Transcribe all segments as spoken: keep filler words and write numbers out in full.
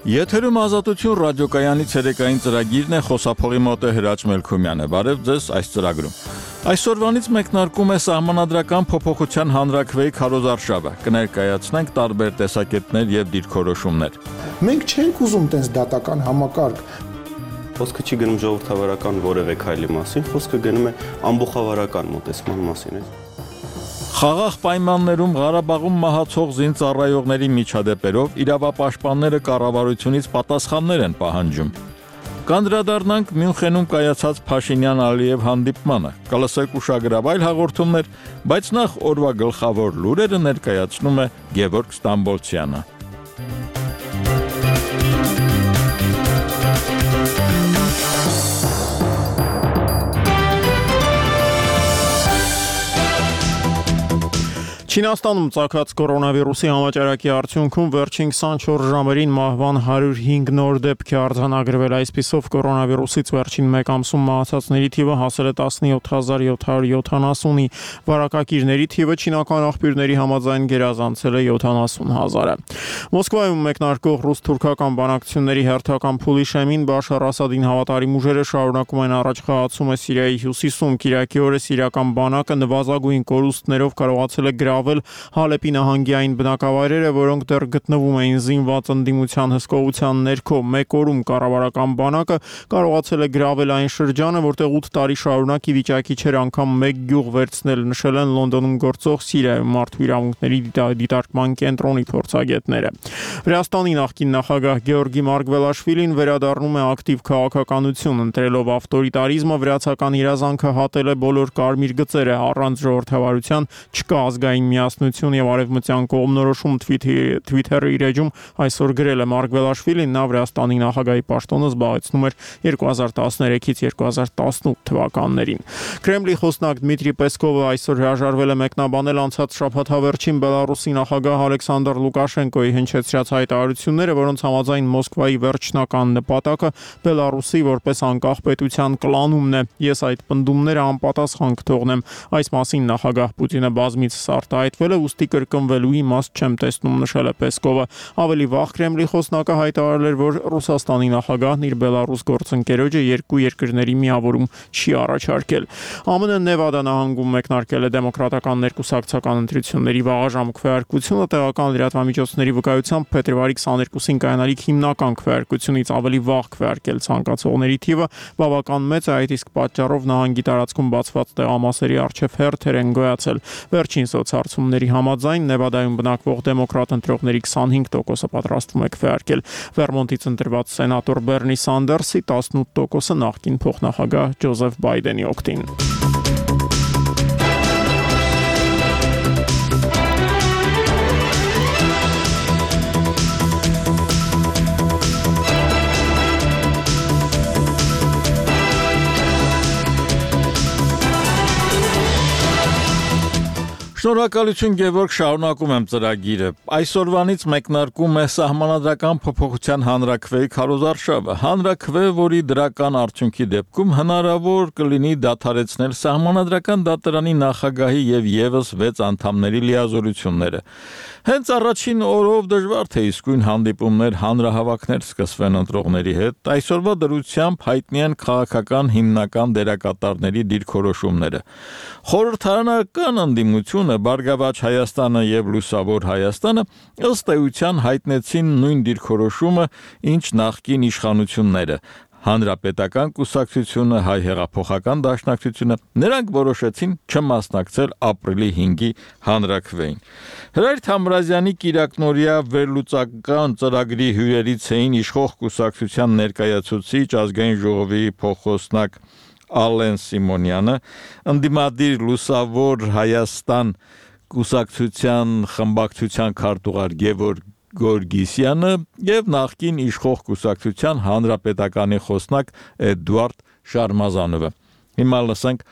Եթերում Ազատություն ռադիոկայանի ցերեկային ծրագիրն է, խոսափողի մոտ է Հրաչ Մելքումյանը։ Բարև ձեզ այս ծրագրում։ Այսօրվանից մեկնարկում է Սահմանադրական փոփոխության հանրաքվեի քարոզարշավը։ Կներկայացնենք տարբեր տեսակետներ եւ դիրքորոշումներ։ Մենք չենք ուզում տես դատական համակարգ։ Խոսքը չի գնում ժողովրդավարական որևէ քայլի մասին, խոսքը գնում է ամբողջավարական մոտեցման մասին։ Խաղաղ պայմաններում Ղարաբաղում մահացող զինծառայողների միջադեպերով իրավապաշտպանները կառավարությունից պատասխաններ են պահանջում։ Կանդրադառնանք Մյունխենում կայացած Փաշինյան-Ալիև հանդիպմանը, կլսեք ուշագրավ այլ հաղորդումներ, բայց նախ օրվա գլխավոր լուրերը ներկայացնում է Գևորգ Ստամբոլցյանը։ Չինաստանում ծագած կորոնավիրուսի համաճարակի արդյունքում վերջին քսանչորս ժամերին մահվան հարյուր հինգ նոր դեպք է արձանագրվել, այսպիսով կորոնավիրուսից վերջին մեկ ամսում մահացածների թիվը հասել է տասնյոթ հազար յոթ հարյուր յոթանասունի, վարակակիրների թիվը չինական աղբյուրների համաձայն գերազանցել է յոթանասուն հազարը։ Մոսկվայում մեկնարկող ռուս-թուրքական բանակցությունների հերթական փուլի շեմին Բաշար Ասադին հավատարիմ ուժերը շարունակում են առաջխաղացումը Սիրիայի հյուսիսում, Կիրակի օրը սիրիական բանակը նվազագույն կորուստներով կարողացել է գրավել Հալեպի նահանգի այն բնակավայրերը, որոնք դեռ գտնվում էին զինված ընդդիմության հսկողության ներքո։ Մեկ օրում կառավարական բանակը կարողացել է գրավել այն շրջանը, որտեղ ութ տարի շարունակ ի վիճակի չէր անգամ մեկ գյուղ վերցնել, նշել են Լոնդոնում գործող Սիրիայում մարդու իրավունքների դիտարկման կենտրոնի փորձագետները։ Վրաստանի նախկին նախագահ Գեորգի Մարգվելաշվիլին վերադառնում է ակտիվ քաղաքականություն, ընտրելով ավտորիտարիզմը, վրացական իրազանքը հատել է բոլոր կարմիր գծերը, առանց ժողովրդավարության չկա ազգային միասնություն եւ արևմտյան կողմնորոշում Twitter-ի իր էջում այսօր գրել է Մարգվելաշվիլին, նա Վրաստանի նախագահի պաշտոնը զբաղեցնում էր երկու հազար տասներեքից երկու հազար տասնութ թվականներին։ Կրեմլի խոսնակ Դմիտրի Պեսկովը այսօր հրաժարվել է մեկնաբանել անցած շաբաթավերջին Բելարուսի նախագահ Ալեքսանդր Լուկաշենկոյի հնչեցրած հայտարարությունները, որոնց համաձայն Մոսկվայի վերջնական նպատակը Բելարուսի որպես անկախ պետության կլանումն է։ Ես այդ պնդումները անպատասխան կթողնեմ, այս մասին նախագահ Պուտինը բազմիցս արտահայտվել է, ուստի կրկնվելու իմաստ չեմ տեսնում, նշել է Պեսկովը։ Ավելի վաղ Կրեմլի խոսնակը հայտարարել էր, որ Ռուսաստանի նախագահն իր Բելարուս գործընկերոջը երկու երկրների միավորում չի առաջարկել։ ԱՄՆ Նևադա նահանգում մեկնարկել է դեմոկրատական ներկուսակցական ընտրությունների վաղաժամ քվեարկությունը, տեղական լրատվամիջոցների վկայությամբ փետրվարի քսաներկուսին կայանալիք հիմնական քվեարկությունից ավելի վաղ քվեարկել ցանկացողների թիվը բավական մեծ է, այդ իսկ պատճառով նահանգի տարածքում բացված տեղամասերի առջև հերթեր են գոյացել։ Վերջին սոցհարցումների համաձայն Նևադայում բնակվող դեմոկրատ ընտրողների քսանհինգ տոկոսը պատրաստվում է քվեարկել։ Վերմոնտից ընտրված սենատոր Բերնի Սանդերսի տասնութ տոկոսը նախկին փոխնախագահ Ջոզեֆ Բայդենի օգտին։ Շնորհակալություն Գևորգ, շարունակում եմ ծրագիրը։ Այսօրվանից մեկնարկում է Սահմանադրական փոփոխության հանրաքվեի քարոզարշավը։ Հանրաքվե, որի դրական արդյունքի դեպքում հնարավոր կլինի դադարեցնել Սահմանադրական դատարանի նախագահի եւ եւս վեց անդամների լիազորությունները։ Հենց առաջին օրով դժվար թե իսկույն հանդիպումներ, հանրահավաքներ սկսվեն ընտրողների հետ։ Այսօրվա դրությամբ հայտնի են քաղաքական հիմնական դերակատարների դիրքորոշումները։ Խորհրդարանական ընդդիմությունը, Բարգավաճ Հայաստանը եւ Լուսավոր Հայաստանը ըստ էության հայտնեցին նույն դիրքորոշումը, ինչ նախկին իշխանությունները։ Հանրապետական կուսակցությունը, Հայ հեղափոխական դաշնակցությունը, նրանք որոշեցին չմասնակցել ապրիլի հինգի հանրաքվեին։ Հրայր Թամրազյանի կիրակնօրյա վերլուծական ծրագրի հյուրերից էին իշխող կուսակցության ներկայացուցիչ, ազգային ժողովի փոխոսնակ Ալեն Սիմոնյանը, ընդդիմադիր Լուսավոր Հայաստան կուսակցության խմբակցության քարտուղար Գևորգ Գորգիսյանը եւ նախկին իշխող կուսակցության հանրապետականի խոսնակ Էդուարդ Շարմազանովը։ Հիմա լսենք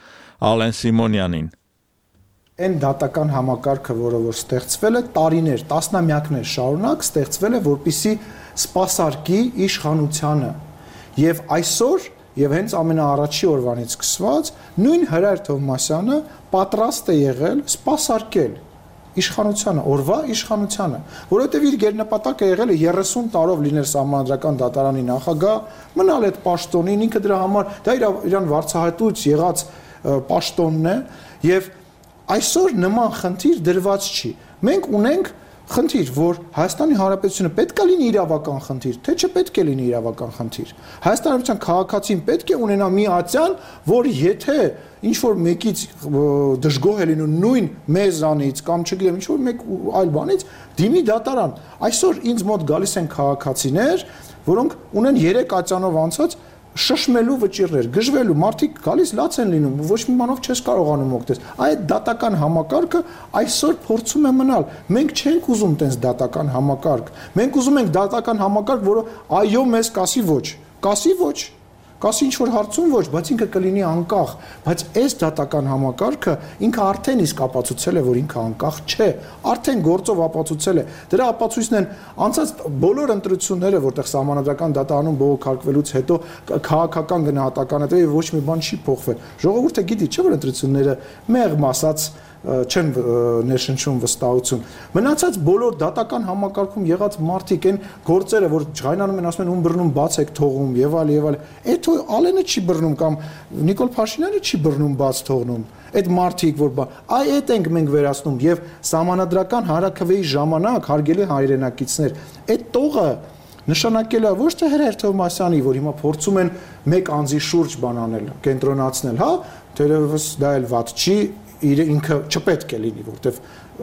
Ալեն Սիմոնյանին։ Այն դատական համակարգը, որը որ ստեղծվել է տարիներ, տասնամյակներ շարունակ ստեղծվել է, որպեսզի սպասարկի իշխանությանը։ Եվ այսօր Եվ հենց ամենաառաջի օրվանից սկսված նույն Հրայր Թովմասյանը պատրաստ է եղել սպասարկել իշխանությանը, օրվա իշխանությանը, որովհետև իր գերնպատակը եղել է երեսուն տարով լինել Սահմանադրական դատարանի նախագահ, մնալ այդ պաշտոնին, ինքը դրա համար դա իր իրան վարձահատույց եղած պաշտոնն է, եւ այսօր նման խնդիր դրված չի։ Մենք ունենք խնդիր, որ Հայաստանի Հանրապետությունը պետք է լինի իրավական խնդիր, թե չպետք է լինի իրավական խնդիր։ Հայաստանի Հանրապետության քաղաքացին պետք է ունենա մի ատյան, որ եթե ինչ որ մեկից դժգոհ է լինում նույն մեզանից կամ չգիտեմ ինչ որ մեկ այլ բանից, դիմի դատարան։ Այսօր ինձ մոտ գալիս են քաղաքացիներ, որոնք ունեն երեք ատյանով անցած շշմելու վճիռներ, գժվելու, մարդիկ գալիս լաց են լինում, ոչ մի բանով չես կարողանում օգտես։ Այդ դատական համակարգը այսօր փորձում է մնալ։ Մենք չենք ուզում տենց դատական համակարգ։ Մենք ուզում ենք դատական համակարգ, որը այո մեզ կասի ոչ, կասի ոչ, կասի ինչ որ հարցում ոչ, բայց ինքը կլինի անկախ, բայց այս դատական համակարգը ինքը արդեն իսկ ապացուցել է, որ ինքը անկախ չէ, արդեն գործով ապացուցել է։ Դրա ապացույցն են անցած բոլոր ընտրությունները, որտեղ Սահմանադրական դատարանում բողոքարկվելուց հետո քաղաքական գնահատականը դե ոչ մի բան չի փոխվել։ Ժողովուրդը գիտի, չէ՞ որ ընտրությունները մեղմ ասած չեն ներշնչում վստահություն։ Մնացած բոլոր դատական համակարգում եղած մարդիկ են գործերը, որ ջղայնանում են, ասում են ում բռնում բաց եք թողում եւ այլ եւ այլ։ Այդ Ալենը չի բռնում կամ Նիկոլ Փաշինյանը չի բռնում բաց թողնում։ Այդ մարդիկ, որ այ այդ ենք մենք վերացնում եւ Սահմանադրական հանրաքվեի ժամանակ հարգելի հայրենակիցներ, այդ տողը նշանակել է ոչ թե Հրայր Թովմասյանի, որ հիմա փորձում են մեկ անձի շուրջ բան անել, կենտրոնացնել, հա, թերևս դա էլ վատ չի, իր ինքը չպետք է լինի, որտեվ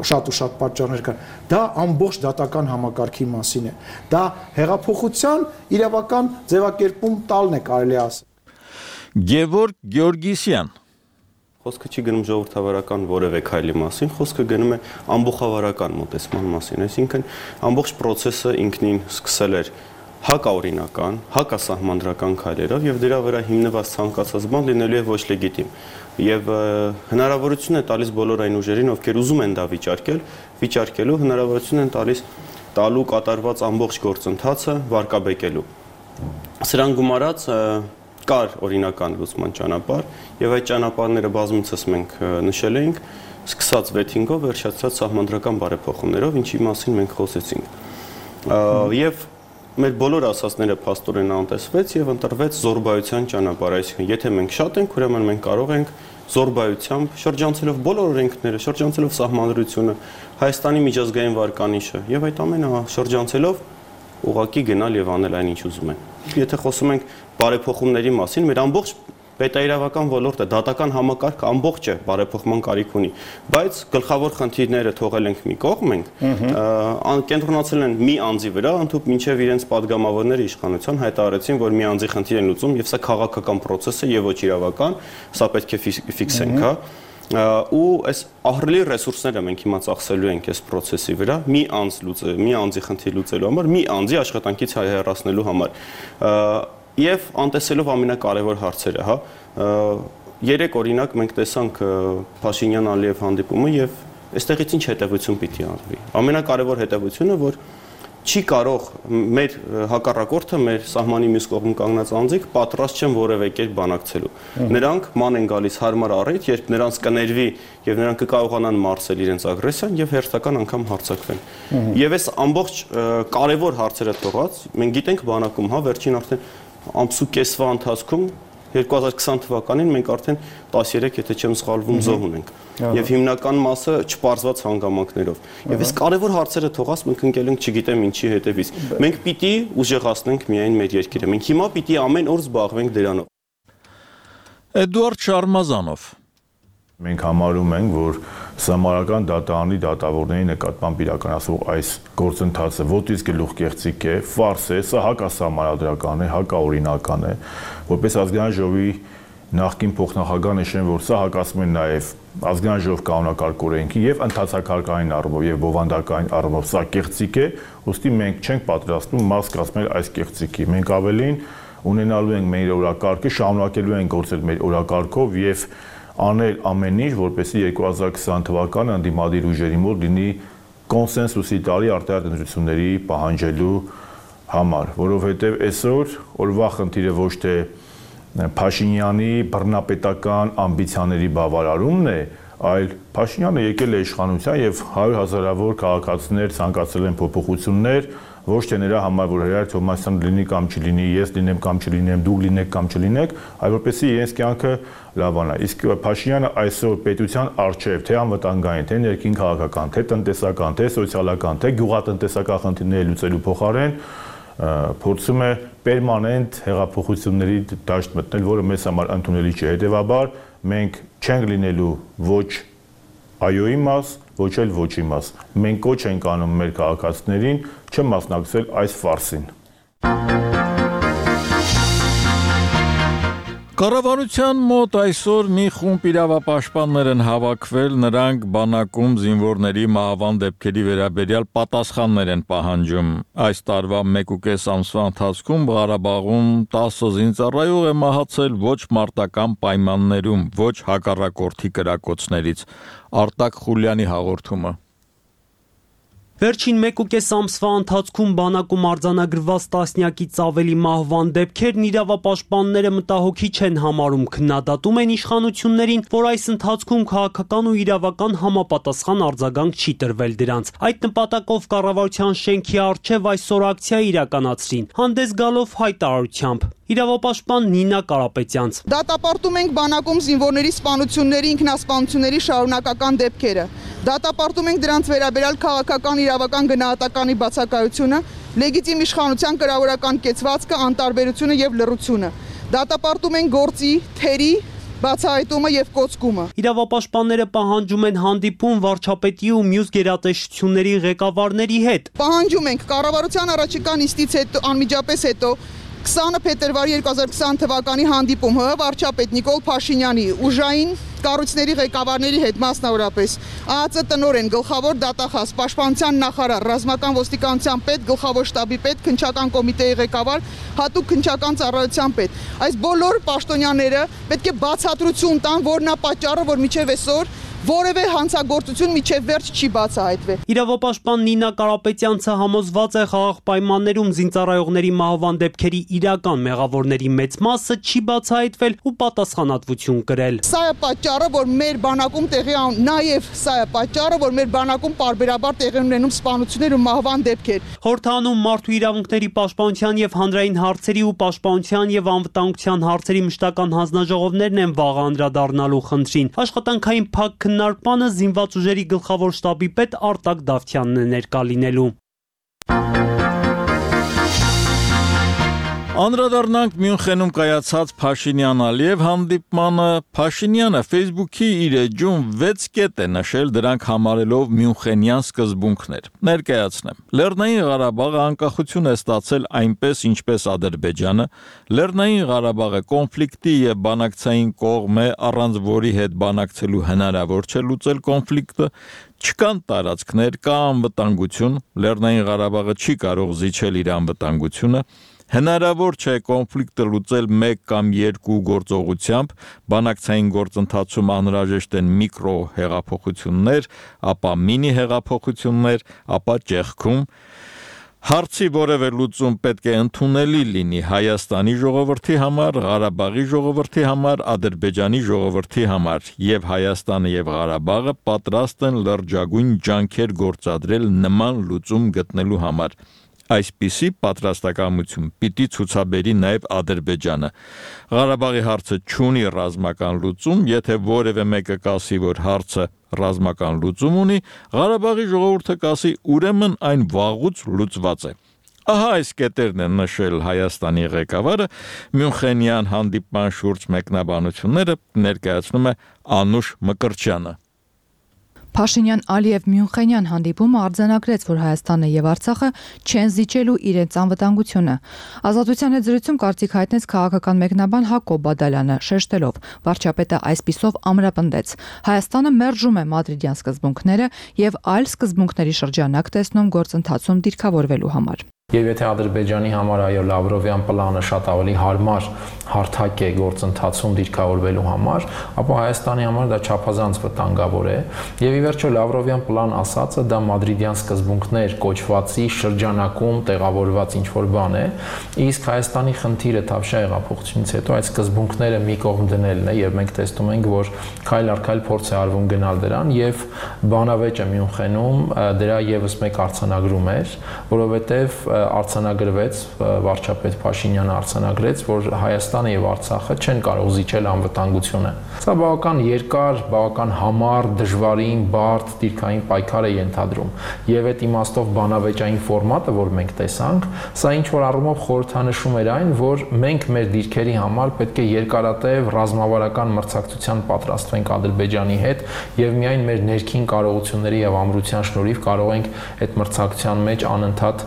շատ ու շատ պատճառներ կան։ Դա ամբողջ դատական համակարգի մասին է։ Դա հեղափոխության իրավական ձևակերպում տալն է, կարելի ասել։ Գևորգ Գեորգիսյան։ Խոսքը չի գնում ժողովրդավարական որևէ քայլի մասին, խոսքը գնում է ամբողջավարական մոտեցման մասին, այսինքն ամբողջ process-ը ինքնին սկսել էր հակաօրինական, հակասահմանադրական քայլերով եւ դրա վրա հիմնված ցանկացած բան լինելու է ոչ լեգիտիմ։ Եվ հնարավորություն է տալիս բոլոր այն ուժերին, ովքեր ուզում են դա վիճարկել, վիճարկելու հնարավորություն են տալիս տալու կատարված ամբողջ գործընթացը վարկաբեկելու։ Սրան գումարած կար օրինական լուծման ճանապարհ, եւ այդ ճանապարհները բազմիցս մենք նշել էինք, սկսած վեթինգով, վերջացած սահմանադրական բարեփոխումներով, ինչի մասին մենք խոսեցինք։ Եվ մեր բոլոր ասածները փաստորեն անտեսվեց եւ ընտրվեց զորբայության ճանապարհ, այսինքն եթե մենք շատ ենք, ուրեմն մենք կարող ենք զորբայությամբ շրջանցելով բոլոր օրենքները, շրջանցելով սահմանադրությունը, Հայաստանի միջազգային վարկանիշը եւ այդ ամենը շրջանցելով ուղղակի գնալ եւ անել այն ինչ ուզում են։ Եթե խոսում ենք բարեփոխումների մասին, մեր ամբողջ պետաիրավական ոլորտը, դատական համակարգը ամբողջ է բարեփոխման կարիք ունի, բայց գլխավոր խնդիրները թողել ենք մի կողմ ենք, կենտրոնացել են մի անձի վրա, ընդհանուր մինչև իրենց падգամավորները իշխանության հայտարարեցին, որ մի անձի խնդիր են լուծում եւ սա քաղաքական process է եւ ոչ իրավական, սա պետք է ֆիքսենք, հա։ Ու այս ահռելի ռեսուրսները մենք հիմա ծախսելու ենք այս process-ի վրա, մի անձ լուծել, մի անձի խնդիր լուծելու համար, մի անձի աշխատանքից հեռացնելու համար։ Եվ անտեսելով ամենակարևոր հարցերը, հա, երեք օրինակ մենք տեսանք Փաշինյան-Ալիև հանդիպումը եւ այստեղից ինչ հետեւություն պիտի արվի։ Ամենակարևոր հետեւությունը, որ չի կարող մեր հակառակորդը, մեր սահմանի մյուս կողմում կանգնած անձիկ պատրաստ չեն որևէ կերպ բանակցելու։ Նրանք ման են գալիս հարմար առիթ, երբ նրանց կներվի եւ նրանք կկարողանան մարսել իրենց ագրեսիան եւ հերթական անգամ հարձակվեն։ Եվ այս ամբողջ կարևոր հարցերը թողած, մենք գիտենք բանակում, հա, վերջին արդեն ամսու կեսվա ընթացքում երկու հազար քսան թվականին մենք արդեն տասներեք, եթե չեմ սխալվում, զոհ ունենք եւ հիմնական մասը չպարզված հանգամանքներով։ Եվ այս կարևոր հարցերը թողած մենք ընկել ենք չգիտեմ ինչի հետևից։ Մենք պիտի ուժեղացնենք միայն մեր երկիրը։ Մենք հիմա պիտի ամեն օր զբաղվենք դրանով։ Էդուարդ Շարմազանով։ Մենք համարում ենք, որ Սահմանադրական դատարանի դատավորների նկատմամբ իրականացվող այս գործընթացը ոտից գլուխ կեղծիք է, ֆարս է, սա հակասահմանադրական է, հակաօրինական է, որպես Ազգային ժողովի նախկին փոխնախագահ նշեմ, որ սա հակասում է նաև Ազգային ժողով կանոնակարգ օրենքի եւ ընդհանրակարգային առումով եւ բովանդակային առումով սա կեղծիք է, ուստի մենք չենք պատրաստվում մաս կազմել այս կեղծիքի։ Մենք ավելին ունենալու ենք մեր օրակարգը, շարունակելու ենք գործել մեր օրակարգով եւ անել ամեն ինչ, որպեսզի երկու հազար քսան թվականը ընդդիմադիր ուժերի մոտ լինի կոնսենսուսի տարի արտահայտ ընտրությունների պահանջելու համար, որովհետև այսօր օրվա խնդիրը ոչ թե Փաշինյանի բռնապետական ամբիցիաների բավարարումն է, այլ Փաշինյանը եկել է իշխանության եւ հարյուր հազարավոր քաղաքացիներ ցանկացել են փոփոխություններ, ոչ թե նրա համար, որ Հրայր Թոմասյանը լինի կամ չլինի, ես լինեմ կամ չլինեմ, դուք լինեք կամ չլինեք, այլ որպեսզի իրենց կյանքը լավանա։ Իսկ Փաշինյանը այսօր պետության արչեւ, թե անվտանգային, թե ներքին քաղաքական, թե տնտեսական, թե սոցիալական, թե գյուղատնտեսական խնդիրները լուծելու փոխարեն փորձում է պերմանենտ հեղափոխությունների դաշտ մտնել, որը մեզ համար ընդունելի չէ։ Հետևաբար մենք չենք լինելու ոչ այոյի մաս, ոչ էլ ոչի մաս։ Մենք կոչ ենք անում մեր քաղաքացիներին չմասնակցել այս ֆարսին։ Կառավարության մոտ այսօր մի խումբ իրավապաշտպաններ են հավաքվել, նրանք բանակում զինվորների մահվան դեպքերի վերաբերյալ պատասխաններ են պահանջում։ Այս տարվա մեկուկես ամսվա ընթացքում Ղարաբաղում տասը զինծառայող է մահացել ոչ մարտական պայմաններում, ոչ հակառակորդի կրակոցներից։ Արտակ Խուլյանի հաղորդումը։ Վերջին մեկուկես ամսվա ընթացքում բանակում արձանագրված տասնյակից ավելի մահվան դեպքերն իրավապաշտպանները մտահոգիչ են համարում, քննադատում են իշխանություններին, որ այս ընթացքում քաղաքական ու իրավական համապատասխան արձագանք չի տրվել դրանց։ Այդ նպատակով կառավարության շենքի առջև այսօր ակցիա իրականացրին, հանդես գալով հայտարարությամբ։ Իրավապաշտպան Նինա Կարապետյանց. Դատապարտում ենք բանակում զինվորների սպանությունների, ինքնասպանությունների շարունակական դեպքերը։ Դատապարտում ենք դրանց վերաբերյալ քաղաքական իրավական գնահատականի բացակայությունը, լեգիտիմ իշխանության կրավորական կեցվածքը, անտարբերությունը եւ լռությունը։ Դատապարտում ենք գործի, թերի բացահայտումը եւ կոծկումը։ Իրավապաշտպանները պահանջում են հանդիպում վարչապետի ու մյուս գերատեսչությունների ղեկավարների հետ։ Պահանջում ենք կառավարության առաջիկա նիստից հետո անմիջապես հետո քսանը փետրվարի երկու հազար քսան թվականի հանդիպում ՀՀ վարչապետ Նիկոլ Փաշինյանի ուժային կառույցների ղեկավարների հետ մասնավորապես ԱԱԾ տնօրեն, գլխավոր դատախազ, պաշտպանության նախարար, ռազմական ոստիկանության պետ, գլխավոր շտաբի պետ, քննչական կոմիտեի ղեկավար, հատուկ քննչական ծառայության պետ։ Այս բոլոր պաշտոնյաները պետք է բացատրություն տան, որն է պատճառը, որ մինչև այսօր որևէ հանցագործություն միջև վերջ չի բացահայտվել։ Իրավապաշտպան Նինա Կարապետյանցը համոզված է խաղաղ պայմաններում զինծառայողների մահվան դեպքերի իրական մեղավորների մեծ մասը չի բացահայտվել ու պատասխանատվություն կրել։ Սա է պատճառը, որ մեր բանակում տեղի նաև սա է պատճառը, որ մեր բանակում պարբերաբար տեղի ունենում սպանություններ ու մահվան դեպքեր։ Խորհրդանում մարդու իրավունքների պաշտպանության եւ հանրային հարցերի ու պաշտպանության եւ անվտանգության հարցերի մշտական հանձնաժողովներն են վաղ անդրադառնալու խնդրին։ Աշխատանքային փակ քննարկմանը զինված ուժերի գլխավոր շտաբի պետ Արտակ Դավթյանն է ներկա լինելու։ Անդրադառնանք Մյունխենում կայացած Փաշինյան-Ալիև հանդիպմանը։ Փաշինյանը Facebook-ի իր էջում վեց կետ է նշել, դրանք համարելով մյունխենյան սկզբունքներ։ Ներկայացնեմ։ Լեռնային Ղարաբաղը անկախություն է ստացել այնպես, ինչպես Ադրբեջանը։ Լեռնային Ղարաբաղը կոնֆլիկտի եւ բանակցային կողմ է, առանց որի հետ բանակցելու հնարավոր չէ լուծել կոնֆլիկտը։ Չկան տարածքներ, կա անվտանգություն։ Լեռնային Ղարաբաղը չի կարող զիջել իր անվտանգությունը։ Հնարավոր չէ կոնֆլիկտը լուծել մեկ կամ երկու գործողությամբ, բանակցային գործընթացում անհրաժեշտ են միկրո հեղափոխություններ, ապա մինի հեղափոխություններ, ապա ճեղքում։ Հարցի որևէ լուծում պետք է ընդունելի լինի Հայաստանի ժողովրդի համար, Ղարաբաղի ժողովրդի համար, Ադրբեջանի ժողովրդի համար, եւ Հայաստանը եւ Ղարաբաղը պատրաստ են լրջագույն ջանքեր գործադրել նման լուծում գտնելու համար։ Այսպիսի պատրաստակամություն պիտի ցուցաբերի նաև Ադրբեջանը։ Ղարաբաղի հարցը չունի ռազմական լուծում, եթե որևէ մեկը կասի, որ հարցը ռազմական լուծում ունի, Ղարաբաղի ժողովուրդը կասի, ուրեմն այն վաղուց լուծված է։ Ահա այս կետերն են նշել Հայաստանի ղեկավարը, Մյունխենյան հանդիպման շուրջ մեկնաբանությունները ներկայացնում է Անուշ Մկրտչյանը։ Փաշինյան-Ալիև Մյունխենյան հանդիպումը արձանագրեց, որ Հայաստանը եւ Արցախը չեն զիջելու իրենց անվտանգությունը։ Ազատության հետ զրույցում կարծիք հայտնեց քաղաքական մեկնաբան Հակոբ Բադալյանը, շեշտելով, վարչապետը այսպիսով ամրապնդեց. Հայաստանը մերժում է մադրիդյան սկզբունքները եւ այլ սկզբունքների շրջանակ տեսնում գործընթացում դիրքավորվելու համար։ Եվ եթե Ադրբեջանի համար այո Լավրովյան պլանը շատ ավելի հարմար հարթակ է գործընթացում դիրքավորվելու համար, ապա Հայաստանի համար դա չափազանց վտանգավոր է։ Եվ ի վերջո Լավրովյան պլան ասածը դա մադրիդյան սկզբունքներ կոչվածի շրջանակում տեղավորված ինչ-որ բան է, իսկ Հայաստանի խնդիրը Թավշյա հեղափոխությունից հետո այդ սկզբունքները մի կողմ դնելն է, եւ մենք տեսնում ենք, որ քայլ առ քայլ փորձ է արվում գնալ դրան, եւ բանավեճը Մյունխենում դրա եւս մեկ արձանագրում էր, որովհետեւ արձանագրվեց վարչապետ Փաշինյանը արձանագրեց, որ Հայաստանը եւ Արցախը չեն կարող զիջել անվտանգությունը։ Սա բավական երկար, բավական համառ, դժվարին, բարդ դիրքային պայքար է ենթադրում։ Եվ այդ իմաստով բանավեճային ֆորմատը, որ մենք տեսանք, սա ինչ որ առումով խորհրդանշում էր այն, որ մենք մեր դիրքերի համար պետք է երկարատև ռազմավարական մրցակցության պատրաստվենք Ադրբեջանի հետ եւ միայն մեր ներքին կարողությունների եւ ամրության շնորհիվ կարող ենք այդ մրցակցության մեջ անընդհատ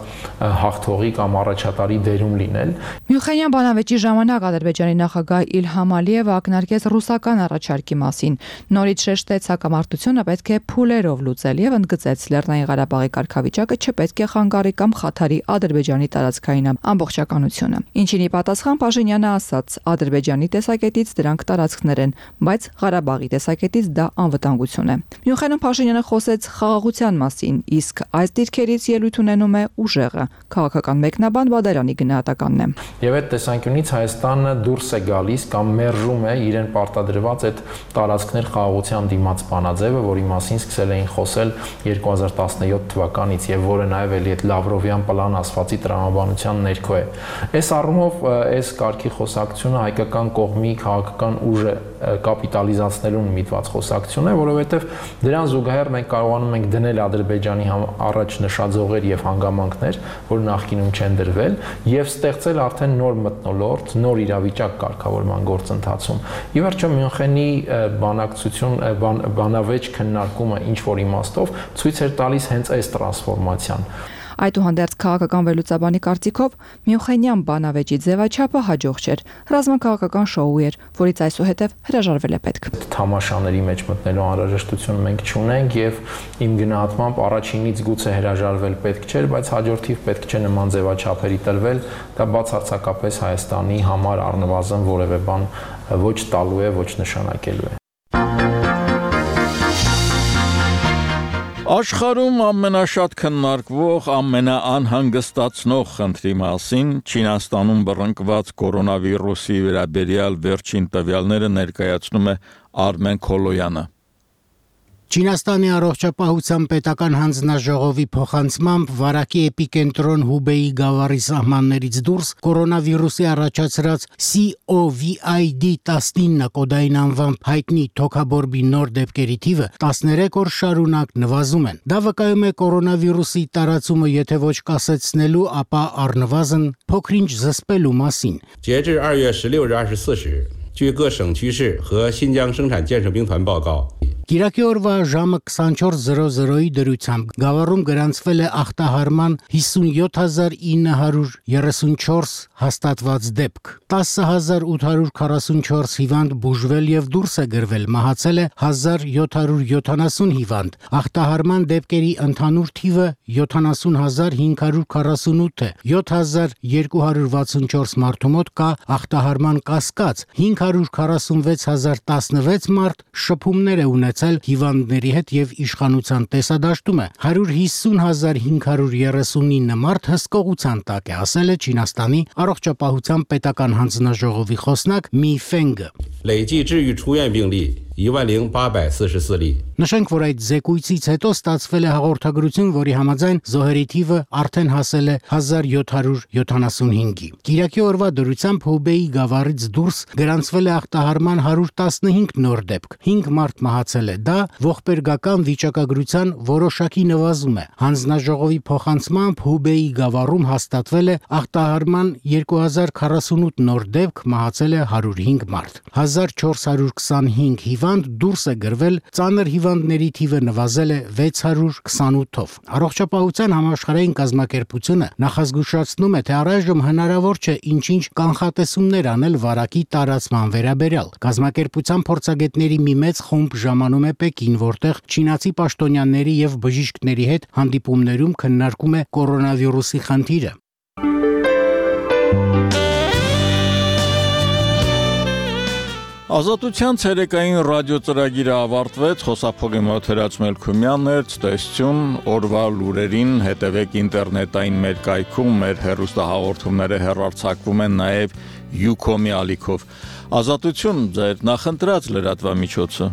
հաղթողի կամ առաջատարի դերում լինել։ Մյունխենյան բանավեճի ժամանակ Ադրբեջանի նախագահ Իլհամ Ալիևը ակնարկեց ռուսական առաջարկի մասին։ Նորից շեշտեց հակամարտությունը պետք է փուլերով լուծել եւ ընդգծեց Լեռնային Ղարաբաղի կարգավիճակը չպետք է խանգարի կամ խաթարի Ադրբեջանի տարածքային ամբողջականությունը։ Ինչին ի պատասխան Փաշինյանը ասաց. Ադրբեջանի տեսակետից դրանք տարածքներ են, բայց Ղարաբաղի տեսակետից դա անվտանգություն է։ Մյունխենում Փաշինյանը խոսեց խաղաղության մասին, իսկ այս դիրքերից ելույթ ունենում է ուժեղը։ Քաղաքական մեկնաբան Բադարյանի գնահատականն է։ Եվ այդ տեսանկյունից Հայաստանը դուրս է գալիս կամ մերժում է իրեն պարտադրված այդ տարածքներ խաղաղության դիմաց բանաձևը, որի մասին սկսել էին խոսել երկու հազար տասնյոթ թվականից եւ որը նաեւ էլի այդ Լավրովյան պլան ասվածի տրամաբանության ներքո է։ Այս առումով այս կարգի խոսակցությունը հայկական կողմի քաղաքական ուժը կապիտալիզացնելուն միտված խոսակցություն է, որովհետեւ դրան զուգահեռ մենք կարողանում ենք դնել Ադրբեջանի առաջ նշաձողեր եւ հանգամանքներ, որ նախկինում չեն դրվել, եւ ստեղծել արդեն նոր մթնոլորտ, նոր իրավիճակ կարգավորման գործընթացում։ Ի վերջո Մյունխենի բանակցություն, բան, բանավեճ քննարկումը ինչ որ իմաստով ցույց էր տալիս հենց այս տրանսֆորմացիան։ Այդուհանդերձ քաղաքական վերլուծաբանի կարծիքով Մյունխենյան բանավեճի ձևաչափը հաջող չէր։ Ռազմաքաղաքական շոու էր, որից այսուհետև հրաժարվել է պետք։ Թամաշաների մեջ մտնելու անհրաժեշտություն մենք չունենք եւ իմ գնահատմամբ առաջինից գուցե հրաժարվել պետք չէր, բայց հաջորդիվ պետք չէ նման ձևաչափերի տրվել, դա բացարձակապես Հայաստանի համար առնվազն որևէ բան ոչ տալու է, ոչ նշանակելու է։ Աշխարհում ամենաշատ քննարկվող, ամենաանհանգստացնող խնդրի մասին Չինաստանում բռնկված կորոնավիրուսի վերաբերյալ վերջին տվյալները ներկայացնում է Արմեն Քոլոյանը։ Չինաստանի առողջապահության պետական հանձնաժողովի փոխանցմամբ վարակի էպիկենտրոն Հուբեյի գավառի սահմաններից դուրս կորոնավիրուսի առաջացրած C O V I D տասնինը կոդային անվամբ հայտնի թոքաբորբի նոր դեպքերի թիվը տասներեք օր շարունակ նվազում են։ Դա վկայում է կորոնավիրուսի տարածումը եթե ոչ կասեցնելու, ապա առնվազն փոքրինչ զսպելու մասին։ 截至二月十六日二十四时，据各省区市和新疆生产建设兵团报告。 Կիրակի օրվա ժամը քսանչորս զրո զրոյի դրությամբ գավառում գրանցվել է ախտահարման հիսունյոթ հազար ինը հարյուր երեսունչորս հաստատված դեպք։ տասը հազար ութ հարյուր քառասունչորս հիվանդ բուժվել եւ դուրս է գրվել, մահացել է հազար յոթ հարյուր յոթանասուն հիվանդ։ Ախտահարման դեպքերի ընդհանուր թիվը յոթանասուն հազար հինգ հարյուր քառասունութ է։ յոթ հազար երկու հարյուր վաթսունչորս մարդու մոտ կա ախտահարման կասկած, հինգ հարյուր քառասունվեց հազար տասնվեց մարդ շփումներ է ունեցել հիվանդների հետ եւ իշխանության տեսադաշտում է հարյուր հիսուն հազար հինգ հարյուր երեսունինը մարդ հսկողության տակ է, ասել է Չինաստանի առողջապահության պետական հանձնաժողովի խոսնակ Մի Ֆենգը։ 累计治愈出院病例 一万零八百四十四例。 Նշենք, որ այդ զեկույցից հետո ստացվել է հաղորդագրություն, որի համաձայն զոհերի թիվը արդեն հասել է հազար յոթ հարյուր յոթանասունհինգի։ Կիրակի օրվա դրությամբ Հուբեյի գավառից դուրս գրանցվել է ախտահարման հարյուր տասնհինգ նոր դեպք։ հինգ մարդ մահացել է։ Դա ողբերգական վիճակագրության որոշակի նվազում է։ Հանձնաժողովի փոխանցմամբ Հուբեյի գավառում հաստատվել է ախտահարման երկու հազար քառասունութ նոր դեպք, մահացել է հարյուր հինգ մարդ։ հազար չորս հարյուր քսանհինգ հիվանդ դուրս է գրվել, ծանր հիվանդների թիվը նվազել է վեց հարյուր քսանութով։ Առողջապահության համաշխարհային կազմակերպությունը նախազգուշացնում է, թե առայժմ հնարավոր չէ ինչ-ինչ կանխատեսումներ անել վարակի տարածման վերաբերյալ։ Կազմակերպության փորձագետների մի մեծ խումբ ժամանում է Պեկին, որտեղ չինացի պաշտոնյաների եւ բժիշկների հետ հանդիպումներում քննարկում է կորոնավիրուսի խնդիրը։ Ազատության ցերեկային ռադիո ծրագիրը ավարտվեց, խոսափողի մոտ Հրաչ Մելքումյանն էր, ցտեսություն, օրվա լուրերին հետևեք ինտերնետային մեր կայքում, մեր հեռուստահաղորդումները հեռարձակվում են նաև Յուկոմի ալիքով։ Ազատություն ձեր նախընտրած լրատվամիջոցը։